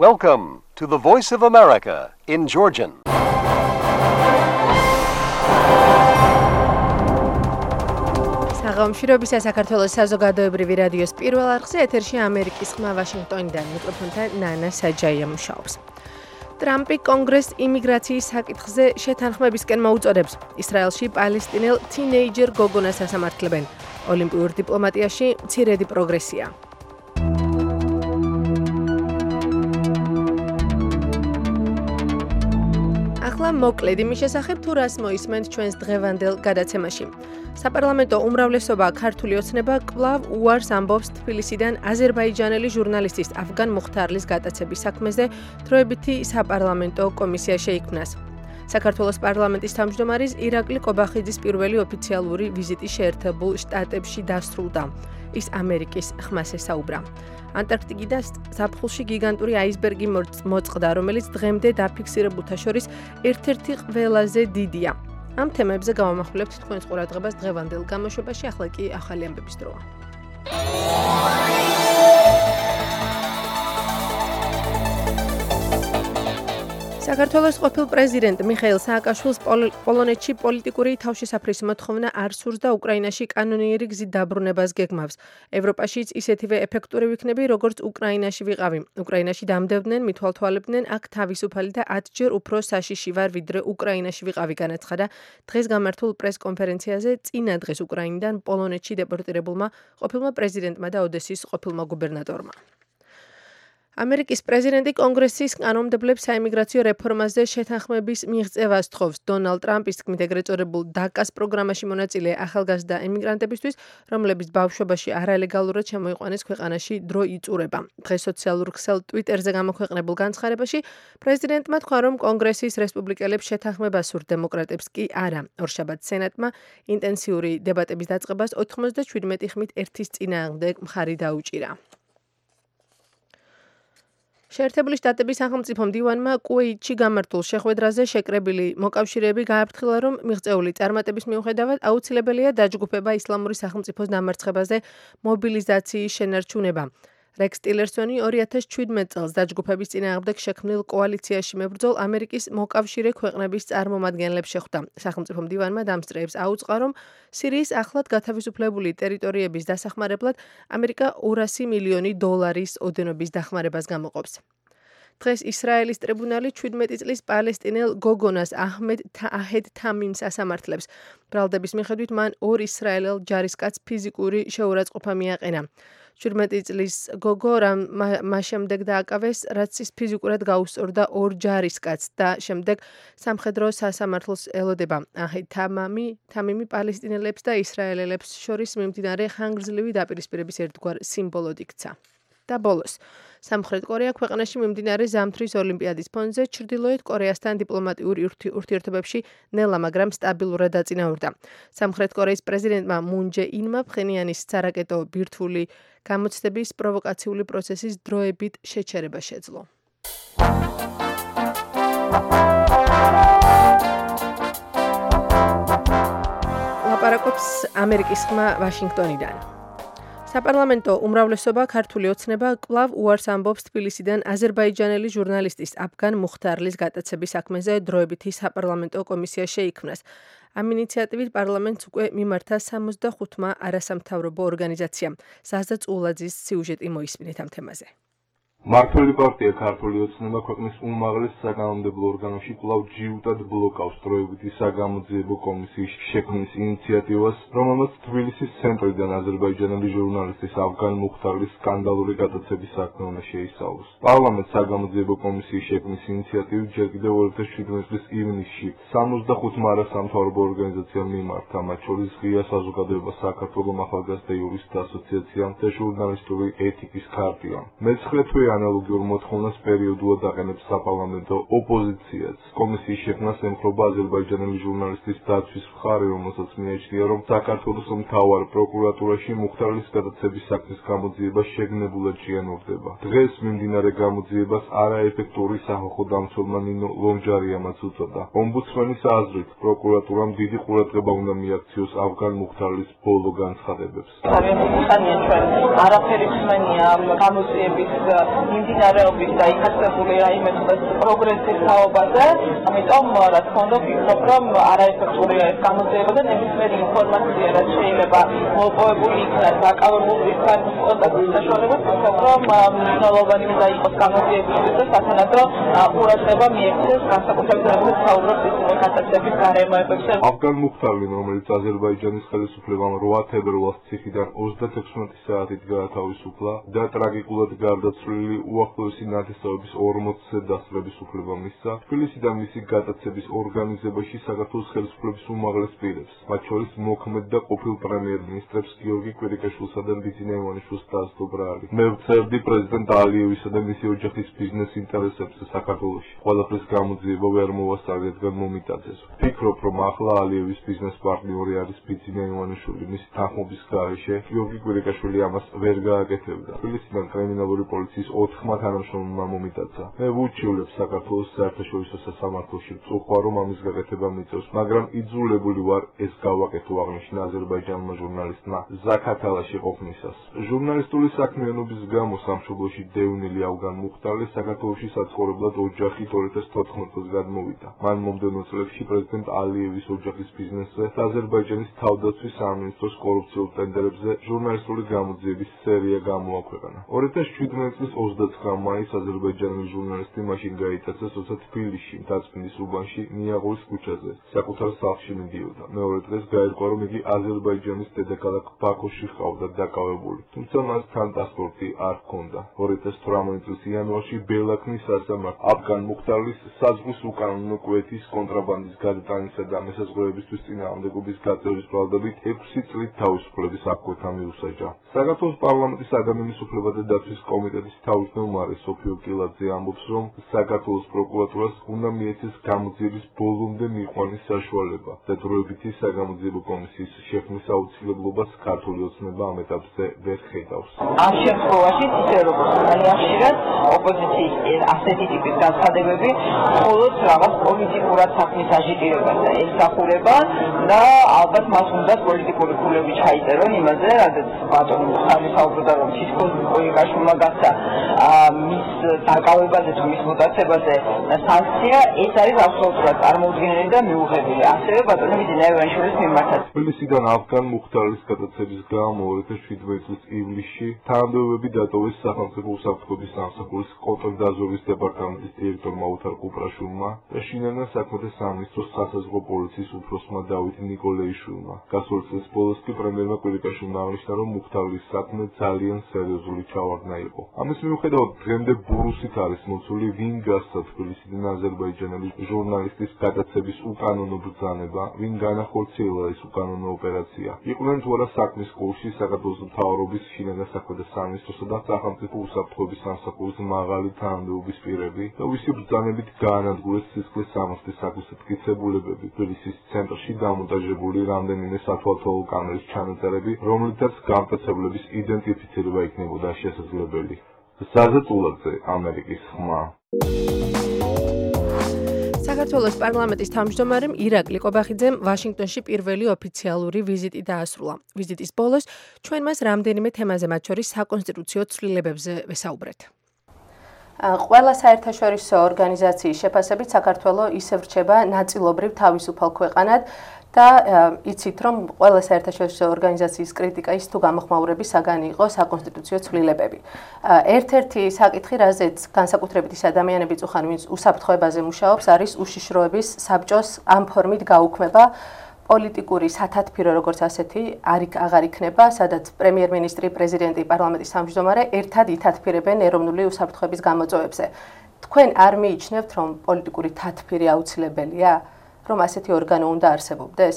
Welcome to the Voice of America in Georgian. საღამოშრობისა საქართველოს საზოგადოებრივი რადიოს პირველ არხზე ეთერში ამერიკის ხმა ვაშინგტონიდან მიკროფონთან ნანა საჯაია მუშაობს. ტრამპი კონგრესს იმიგრაციის საკითხზე შეთანხმებისკენ მოუწოდებს. ისრაელში პალესტინელ თინეიჯერ გოგონას ასამართლებენ. ოლიმპიურ დიპლომატიაში მცირედი პროგრესია. ახლა მოკლედ იმის შესახებ თუ რას მოისმენთ ჩვენს დღევანდელ გადაცემაში. საპარლამენტო უმრავლესობა ქართული ოცნება კვლავ უარს ამბობს თბილისიდან აზერბაიჯანელი ჟურნალისტის ავგან მუხთარლის გატაცების საქმეზე დროებითი საპარლამენტო კომისია შეიქმნას. საქართველოს პარლამენტის თავმჯდომარის ირაკლი კობახიძის პირველი ოფიციალური ვიზიტი შეერთებულ შტატებში დასრულდა. ის ამერიკის ხმას ესაუბრა. ანტარქტიკიდან ზაფხულში გიგანტური აისბერგი მოწყდა, რომელიც დღემდე დაფიქსირებულთა შორის ერთ-ერთი ყველაზე დიდია. ამ თემებზე გავამახვილებთ თქვენს ყურადღებას დღევანდელ გამოშვებაში, ახლა კი ახალი ამბების დროა. საქართველოს ყოფილ პრეზიდენტ მიხეილ სააკაშვილის პოლონეთში პოლიტიკური თავშესაფრის მოთხოვნა არ სურს და უკრაინაში კანონიერი გზით დაბრუნებას გეგმავს. ევროპაშიც ისეთივე ეფექტური ვიქნები, როგორც უკრაინაში ვიყავი. უკრაინაში დამდებდნენ, მithვალთვალებდნენ, აქ თავისუფალი და 10-ჯერ უფრო საშიში ვარ, ვიდრე უკრაინაში ვიყავი, განაცხადა დღეს გამართულ პრეს-კონფერენციაზე წინა დღეს უკრაინიდან პოლონეთში დეპორტირებულმა ყოფილმა პრეზიდენტმა და ოდესის ყოფილმა გუბერნატორმა. ამერიკის პრეზიდენტი კონგრესის კანონმდებლებს საიმიგრაციო რეფორმაზე შეთანხმების მიღწევას თხოვს. დონალდ ტრამპის თქმით ეგრეთ წოდებულ დაკას პროგრამაში მონაწილე ახალგაზრდა ემიგრანტებისთვის, რომლებიც ბავშვობაში არალეგალურად შემოიყვანეს ქვეყანაში, დრო იწურება. დღეს სოციალურ ქსელ ტვიტერზე გამოქვეყნებულ განცხადებაში პრეზიდენტმა თქვა, რომ კონგრესის რესპუბლიკელებს შეთანხმება სურთ, დემოკრატებს კი არა. ორშაბათს სენატმა ინტენსიური დებატების დაწყებას 97 ხმით ერთის წინააღმდეგ მხარი დაუჭირა. შეერთებული შტატების სახელმწიფო მდივანმა კუვეიტში გამართულ შეხვედრაზე შეკრებილი მოკავშირეები გააფრთხილა, რომ მიღწეული წარმატების მიუხედავად აუცილებელია დაჯგუფება ისლამური სახელმწიფოს დამარცხებაზე მობილიზაციის შენარჩუნება. რექს ტილერსონი 2017 წელს დაჯგუფების წინააღმდეგ შექმნილ კოალიციაში მებრძოლ ამერიკის მოკავშირე ქვეყნების წარმომადგენლებს შეხვდა. სახელმწიფო მდივანმა დამსწრეებს აუწყა, რომ სირიის ახლად გათავისუფლებული ტერიტორიების დასახმარებლად ამერიკა 200 მილიონი დოლარის ოდენობის დახმარებას გამოყოფს. დღეს ისრაელის ტრიბუნალი 17 წლის პალესტინელ გოგონას აჰმედ თამიმს ასამართლებს. ბრალდების მიხედვით მან ორ ისრაელელ ჯარისკაცს ფიზიკური შეურაცხყოფა მიაყენა. 17 წლის გოგო მას შემდეგ დააკავეს, რაც ის ფიზიკურად გაუსწორდა ორ ჯარისკაცს და შემდეგ სამხედრო სასამართლოს ელოდება. აჰმედ თამიმი პალესტინელებს და ისრაელელებს შორის მიმდინარე ხანგრძლივი დაპირისპირების ერთგვარ სიმბოლოდ იქცა. და ბოლოს, სამხრეთ კორეა ქვეყანაში მიმდინარე ზამთრის ოლიმპიადის ფონზე ჩრდილოეთ კორეასთან დიპლომატიურ ურთიერთობებში ნელა, მაგრამ სტაბილურად დაწინაურდა. სამხრეთ კორეის პრეზიდენტმა მუნ ჯე ინმა ფხენიანის სარაკეტო ბირთვული გამოცდების პროვოკაციული პროცესის დროებით შეჩერება შეძლო. ლაპარაკობს ამერიკის ხმა ვაშინგტონიდან. საპარლამენტო უმრავლესობა ქართული ოცნება კვლავ უარს ამბობს თბილისიდან აზერბაიჯანელი ჟურნალისტის ავგან მუხთარლის გატაცების საქმეზე დროებითი საპარლამენტო კომისია შეიქმნას. ამ ინიციატივით პარლამენტს უკვე მიმართა 65-მა არასამთავრობო ორგანიზაციამ. ზაზა წულაძის სიუჟეტი მოისმინეთ ამ თემაზე. მართველი პარტია ქართული ოცნება ქვეყნის უმაღლეს საკანონმდებლო ორგანოში კვლავ ჯიუტად ბლოკავს დროებითი საგამოძიებო კომისიის შექმნის ინიციატივას, რომელმაც თბილისის ცენტრიდან აზერბაიჯანელი ჟურნალისტის ავგან მუხთარლის სკანდალური გატაცების საქმე უნდა შეისწავლოს. პარლამენტს საგამოძიებო კომისიის შექმნის ინიციატივი ჯერ კიდევ 2017 წლის ივნისში 65-მა არასამთავრობო ორგანიზაციამ მიმართა, მათ შორის ღია საზოგადოება საქართველოს ახალგაზრდა იურისტთა ასოციაციამ და ჟურნალისტური ეთიკის ქარტიამ. მეცხრე თვე ანალოგიურ მოთხოვნას პერიოდულად აყენებს საპარლამენტო ოპოზიციაც. კომისიის შექმნას ემხრობა აზერბაიჯანელი ჟურნალისტის დაცვის მხარე, რომელსაც მიაჩნია, რომ საქართველოს მთავარ პროკურატურაში მუხთარლის გადაცების საქმის გამოძიება შეგნებულად შეანურდება. დღეს მიმდინარე გამოძიებას არაეფექტური სახალხო დამცველმა ნინო ლონჯარიამაც უწოდა. ომბუდსმენის აზრით, პროკურატურამ დიდი ყურადღება უნდა მიაქციოს ავგან მუხთარლის ბოლო განცხადებებს. არაფერი ხმენია გამოძიების მიმდინარეობის და იხსენებული რაიმე პროგრესის თაობაზე, ამიტომ რა თქმა უნდა ვფიქრობ, რომ არაეფექტურია ეს გამოძიება და ნებისმიერი ინფორმაცია, რაც შეიძლება მოპოვებული იქნას დაკავებული იქნას კონტაქტის საშუალებას, ვფიქრობ, რომ მნიშვნელოვანი უნდა იყოს გამოძიებისთვის და სათანადო ყურადღება მიექცეს განსაკუთრებით როგორც საუბრობთ ისინი ხასიათების გარემოებებზე. Afgan Mukhtarlin, რომელიც აზერბაიჯანის ხელისუფლებამ 8 თებერვალს ციხიდან 36 საათით გაათავისუფლა და ტრაგიკულად გარდაცვლილი უახლოესი ნათესავების 40-ზე დასწრების უფლება მისცა, თბილისიდან მისი გადაცემის ორგანიზებაში საქართველოს ხელისუფლების უმაღლეს პირებს, მათ შორის მოქმედ და ყოფილ პრემიერ-მინისტრებს გიორგი კვირიკაშვილსა და ბიძინა ივანიშვილს დაასტობრა. მე ვწერდი პრეზიდენტ ალიევისა და მისი ოჯახის ბიზნეს ინტერესებზე საქართველოში. ყველაფრის გამოძიება ვერ მოვასწარი, რადგან მომიტაძეს. ვფიქრობ, რომ ახლა ალიევის ბიზნეს პარტნიორი არის ბიძინა ივანიშვილი. მისი თანხმობის გარეშე გიორგი კვირიკაშვილი ამას ვერ გააკეთებდა. თბილისიდან კრიმინალური პოლიციის 4 თანამშრომელმა მომიტაცა. მე ვუჩივლებ საქართველოს საერთაშორისო სასამართლოში წუხვა, რომ ამის გაკეთება მიწევს, მაგრამ იძულებული ვარ ეს გავაკეთო, აღნიშნა აზერბაიჯანულმა ჟურნალისტმა ზაქათალაში ყოფნისას. ჟურნალისტური საქმიანობის გამო სამშობლოში დევნილი ავგან მუხტარლი საქართველოში საცხოვრებლად ოჯახით 2014 წელს გადმოვიდა. მან მომდევნო წლებში პრეზიდენტ ალიევის ოჯახის ბიზნესზე და აზერბაიჯანის თავდაცვის სამინისტროს კორუფციულ ტენდერებზე ჟურნალისტური გამოძიების სერია გამოაქვეყნა. 2017 წლის 29 მაისს აზერბაიჯანელი ჟურნალისტი მაშინ გაიტაცეს, როცა თბილისში მთაწმინდის უბანში ნიაღურის ქუჩაზე საკუთარ სახლში მიდიოდა. მეორე დღეს გაირკვა, რომ იგი აზერბაიჯანის დედაქალაქ ბაქოში ჰყავდა დაკავებული, თუმცა მას თან პასპორტი არ ჰქონდა. 2018 წლის იანვარში ბელაქნის სასამართლო აფგან მუხტარლის საზღვის უკანონო კვეთის კონტრაბანდის გადატანისა და მესაზღვრეებისთვის წინააღმდეგობის გაწევის ბრალდებით 6 წლით თავისუფლების აღკვეთა მიუსაჯა. საქართველოს პარლამენტის ადამიანის უფლებათა დაცვის კომიტეტის თავმჯდომარე სოფიო კილაძე ამბობს, რომ საქართველოს პროკურატურას უნდა მიეცეს გამოძიების ბოლომდე მიყვანის საშუალება და დროებითი საგამოძიებო კომისიის შექმნის აუცილებლობას ქართული ოცნება ამ ეტაპზე ვერ ხედავს. ამ შემთხვევაში ისე როგორც ძალიან ხშირად ოპოზიციის ასეთი ტიპის განცხადებები მხოლოდ რაღაც პოლიტიკურად საქმის აჟიტირებას ემსახურება და ალბათ მას უნდა პოლიტიკური ქულები ჩაიწერონ იმაზე, რადგან ბატონი მუხტარლი საუბრობდა, რომ თითქოს კვირიკაშვილმა გასცა მის დაკავებაზე თუ მის მოტაცებაზე სანქცია, ეს არის აბსოლუტურად წარმოუდგენელი და მიუღებელი. ასევე ბატონი ბიძინა ივანიშვილის მიმართაც. თბილისიდან აფგან მუხტარლის გადაცემის გამო 2017 წლის ივლისში თანამდებობები დატოვეს სახელმწიფო უსაფრთხოების სამსახურის კონტრდაზვერვის დეპარტამენტის დირექტორმა ოთარ კუპრაშვილმა და შინაგან საქმეთა სამინისტროს სასაზღვრო პოლიციის უფროსმა დავით ნიკოლეიშვილმა. გასული წლის ბოლოს კი პრემიერმა კვირიკაშვილმა აღნიშნა, რომ მუხტარლის საქმე ძალიან სერიოზული ჩავარდნა იყო. ამის მიუხედავად დღემდე ბურუსით არის მოცული, ვინ გასცა თბილისიდან აზერბაიჯანელი ჟურნალისტის გადაცემის უკანონო ბრძანება, ვინ განახორციელა ეს უკანონო ოპერაცია. იყვნენ თუ არა საქმის კურსში საქართველოს მთავრობის შინაგან საქმეთა სამინისტროსა და სახელმწიფო უსაფრთხოების სამსახურის მაღალი თანამდებობის პირები და ვისი ბრძანებით გაანადგურეს სისხლის სამართლის საკუთრებულებები. თბილისის ცენტრში დამონტაჟებული რამდენიმე სათვალთვალო კამერის ჩანაწერები, რომლითაც გამტაცებლების იდენტიფიცირება იქნებოდა შესაძლებელი. ზაზა წულაძე, ამერიკის ხმა. საქართველოს პარლამენტის თავმჯდომარემ ირაკლი ყობახიძემ ვაშინგტონში პირველი ოფიციალური ვიზიტი დაასრულა. ვიზიტის ბოლოს ჩვენ მას რამდენიმე თემაზე, მათ შორის საკონსტიტუციო ცვლილებებზე ვესაუბრეთ. ყველა საერთაშორისო ორგანიზაციის შეფასებით საქართველოს ისევ რჩება ნაწილობრივ თავისუფალ ქვეყანად და იცით, რომ ყველა საერთაშორისო ორგანიზაციის კრიტიკა ის თუ გამოხმაურების საგანი იყო საკონსტიტუციო ცვლილებები. ერთ-ერთი საკითხი, რაზეც განსაკუთრებით ის ადამიანები წუხან, ვინც უსაფრთხოებაზე მუშაობს, არის უშიშროების საბჭოს ამ ფორმით გაუქმება. პოლიტიკური სათათბირო როგორც ასეთი აღარ იქნება, სადაც პრემიერ-მინისტრი, პრეზიდენტი, პარლამენტის თავმჯდომარე ერთად ითათბირებენ ეროვნული უსაფრთხოების გამოწვევებზე. თქვენ არ მიიჩნევთ, რომ პოლიტიკური თათბირი აუცილებელია, რომ ასეთი ორგანო უნდა არსებობდეს?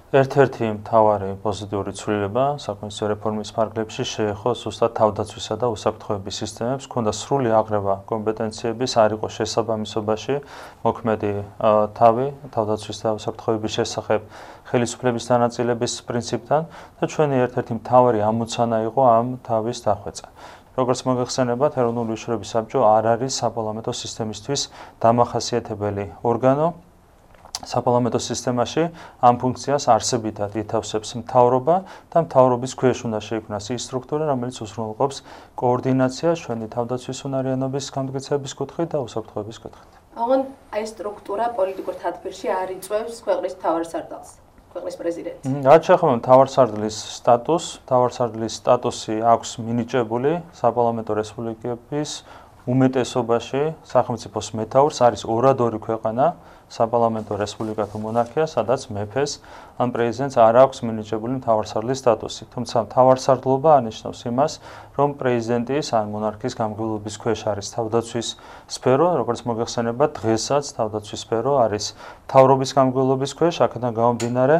ერთ-ერთი მთავარი პოზიტიური ცვლილება საკონსტიტუციო რეფორმის ფარგლებში შეეხო ზუსტად თავდაცვისა და უსაფრთხოების სისტემებს, ჰქონდა სრული აღრევა კომპეტენციების, არ იყო შესაბამისობაში მოქმედი თავი თავდაცვის და უსაფრთხოების შესახებ ხელისუფლების დანაწილების პრინციპთან და ჩვენი ერთ-ერთი მთავარი ამოცანა იყო ამ თავის დახვეწა. როგორც მოგეხსენებათ, ეროვნული უშიშროების საბჭო არ არის საპარლამენტო სისტემისთვის დამახასიათებელი ორგანო. საპარლამენტო სისტემაში ამ ფუნქციას არსებითად ითავსებს მთავრობა და მთავრობის ქვეშ უნდა შეიქმნას ის სტრუქტურა, რომელიც უზრუნველყოფს კოორდინაციას ჩვენი თავდაცვის უნარიანობის გამტკიცების კუთხით და უსაფრთხოების კუთხით. ოღონდ აი სტრუქტურა პოლიტიკურ თათბირში არ იწვევს ქვეყნის მთავარსარდალს, ქვეყნის პრეზიდენტს. რაც შეეხება მთავარსარდლის სტატუსს, მთავარსარდლის სტატუსი აქვს მინიჭებული საპარლამენტო რესპუბლიკების უმეტესობაში სახელმწიფოს მეთაურს, არის ორადორი ქვეყანა საპარლამენტო რესპუბლიკა თუ მონარქია, სადაც მეფეს ან პრეზიდენტს არ აქვს მინიჭებული მთავარსარდლის სტატუსი. თუმცა მთავარსარდლობა ანიშნავს იმას, რომ პრეზიდენტის ან მონარქის გამგებლობის ქვეშ არის თავდაცვის სფერო, როგორც მოგეხსენებათ, დღესაც თავდაცვის სფერო არის მთავრობის გამგებლობის ქვეშ, აქედან გამომდინარე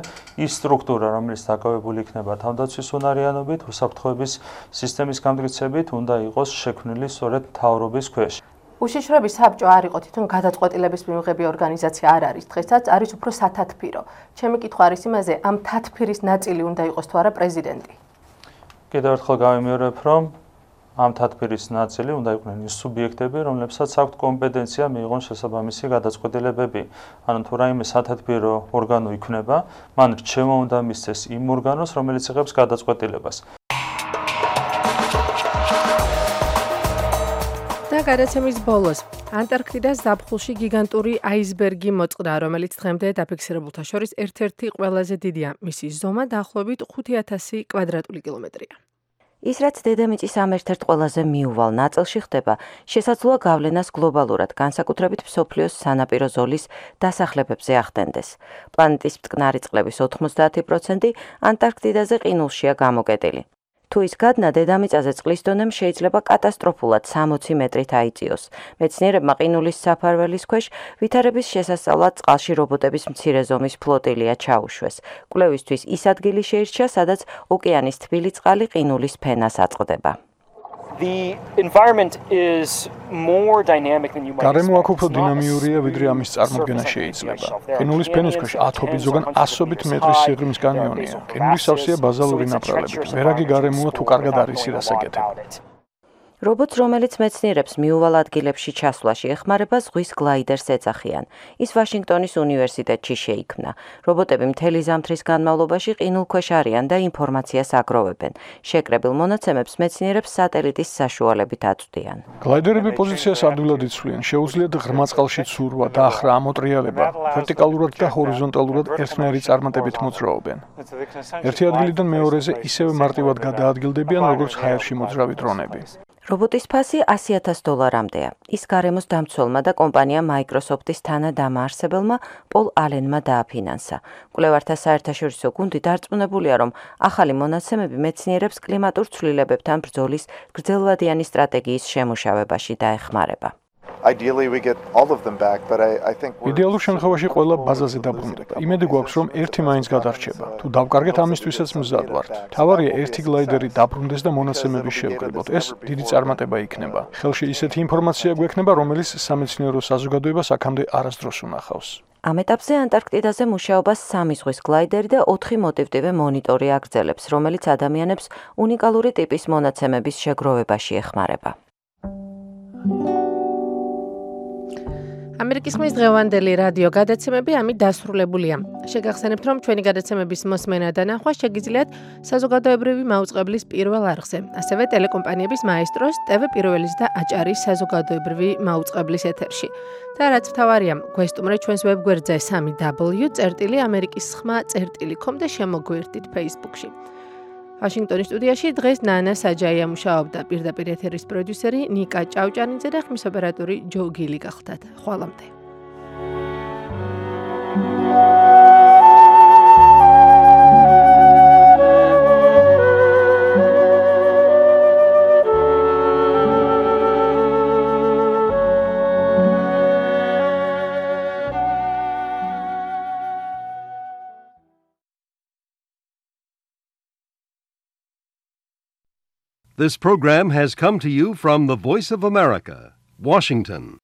ის სტრუქტურა, რომელიც დაკავებული იქნება თავდაცვის უნარიანობით, უსაფრთხოების სისტემის გამტკიცებით, უნდა იყოს შექმნილი სწორედ მთავრობის ქვეშ. უშიშროების საბჭო არ იყო თვითონ გადაწყვეტილების მიღები ორგანიზაცია არ არის, დღესაც არის უფრო სათათბირო. ჩემი კითხვა არის იმაზე, ამ თათბირის ნაწილი უნდა იყოს თუ არა პრეზიდენტი. კიდევ ერთხელ გავიმეორებ, რომ ამ თათბირის ნაწილი უნდა იყვნენ ის სუბიექტები, რომლებსაც აქვთ კომპეტენცია მიიღონ შესაბამისი გადაწყვეტილებები. ანუ თუ რაიმე სათათბირო ორგანო იქნება, მან რჩევა უნდა მისცეს იმ ორგანოს, რომელიც იღებს გადაწყვეტილებას. და გადაცემის ბოლოს ანტარქტიდას ზაფხულში გიგანტური აისბერგი მოწყდა, რომელიც დღემდე დაფიქსირებულთა შორის ერთ-ერთი ყველაზე დიდია. მისი ზომა დაახლოებით 5000 კვადრატული კილომეტრია. ის რაც დედამიწის ამ ერთ-ერთ ყველაზე მიუვალ ნაწილში ხდება, შესაძლოა გავლენას გლობალურად, განსაკუთრებით მსოფლიოს სანაპირო ზოლის დასახლებებზე ახდენდეს. პლანეტის მტკნარი წყლების 90% ანტარქტიდაზე ყინულშია გამოკეტილი. თუ ის გადნა დედამიწაზე წყლის დონემ შეიძლება კატასტროფულად 60 მეტრით აიწიოს. მეცნიერებმა ყინულის საფარველის ქვეშ ვითარების შესასწავლად წყალში რობოტების მცირე ზომის ფლოტილია ჩაუშვეს. კვლევისთვის ის ადგილი შეირჩა, სადაც ოკეანის თბილი წყალი ყინულის ფენას აწყდება. გარემო აქ უფრო დინამიურია, ვიდრე ამის წარმოქმნა შეიძლება. ყინულის ფენის ქვეშ ათობით, ზოგან ასობით მეტრის სიღრმის კანიონია. ყინულის სავსეა ბაზალური ნაპრალებით. ვერაგი გარემოა თუ კარგად არის ირასაკეთებ. რობოტს, რომელიც მეცნიერებს მიუვალ ადგილებში ჩასვლაში ეხმარება, ზღვის გლაიდერს ეძახიან. ის ვაშინგტონის უნივერსიტეტში შეიქმნა. რობოტები მთელი ზამთრის განმავლობაში ყინულქვეშ არიან და ინფორმაციას აგროვებენ. შეკრებილ მონაცემებს მეცნიერებს სატელიტის საშუალებით აწვდიან. გლაიდერები პოზიციას ადვილად იცვლიან, შეუძლიათ ღრმა წყალში ცურვა, დახრა, ამოტრიალება, ვერტიკალურად და ჰორიზონტალურად ერთნაირი წარმატებით მოძრაობენ. ერთი ადგილიდან მეორეზე ისევე მარტივად გადაადგილდებიან, როგორც ჰაერში მოძრავი დრონები. რობოტის ფასი $100,000-მდეა. ის გარემოს დამცველმა და კომპანია Microsoft-ის თანადამაარსებელმა პოლ ალენმა დააფინანსა. კვლევართა საერთაშორისო გუნდი დარწმუნებულია, რომ ახალი მონაცემები მეცნიერებს კლიმატურ ცვლილებებთან ბრძოლის გრძელვადიანი სტრატეგიის შემუშავებაში დაეხმარება. იდეალურ შემთხვევაში ყველა ბაზაზე დაბრუნდება. იმედი გვაქვს, რომ ერთი მაინც გადარჩება. თუ დავკარგეთ ამისთვისაც მზად ვართ. თავარია ერთი გლაიდერი დაბრუნდეს და მონაცემები შევკრიბოთ. ეს დიდი წარმატება იქნება. ხელში ისეთი ინფორმაცია გვექნება, რომელიც სამეცნიერო საზოგადოებას აქამდე არასდროს უნახავს. ამ ეტაპზე ანტარქტიდაზე მუშაობას 3 ზღვის გლაიდერი და 4 მოტივტივე მონიტორი აგრძელებს, რომელიც ადამიანებს უნიკალური ტიპის მონაცემების შეგროვებაში ეხმარება. ამერიკის ხმის დღევანდელი რადიო გადაცემები ამით დასრულებულია. შეგახსენებთ, რომ ჩვენი გადაცემების მოსმენა და ნახვა შეგიძლიათ საზოგადოებრივი მაუწყებლის პირველ არხზე, ასევე ტელეკომპანიების მაესტროს, TV პირველის და აჭარის საზოგადოებრივი მაუწყებლის ეთერში. და რაც მთავარია, გვესტუმრეთ ჩვენს ვებგვერდზე 3w.amerikisxma.com და შემოგვერთდით Facebook-ში. ვაშინგტონის სტუდიაში დღეს ნანა საჯაია მუშაობდა, პირდაპირ ეთერის პროდიუსერი ნიკა ჭავჭანიძე და ხმის ოპერატორი ჯო გილი გახლდათ. ხვალამდე. This program has come to you from the Voice of America, Washington.